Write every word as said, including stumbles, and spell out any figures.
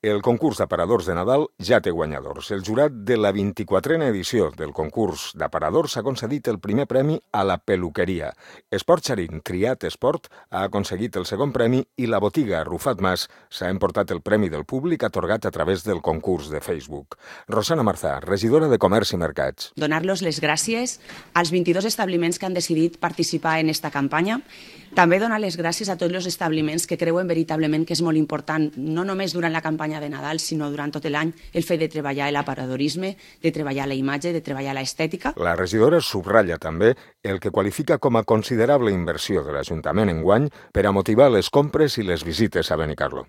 El concurs d'aparadors de Nadal ja té guanyadors. El jurat de la vint-i-quatrena edició del concurs d'aparadors ha concedit el primer premi a la peluqueria. Esport Xarín, Triat Esport, ha aconseguit el segon premi i la botiga Rufat Mas s'ha emportat el premi del públic atorgat a través del concurs de Facebook. Rosana Marzà, regidora de Comerç i Mercats. Donar-los les gràcies als vint-i-dos establiments que han decidit participar en esta campanya. També donar les gràcies a tots els establiments que creuen veritablement que és molt important, no només durant la campanya de Nadal, sinó durant tot l'any, el fet de treballar l'aparadorisme, de treballar la imatge, de treballar l'estètica. La regidora subratlla també el que qualifica com a considerable inversió de l'Ajuntament enguany per a motivar les compres i les visites a Benicarló.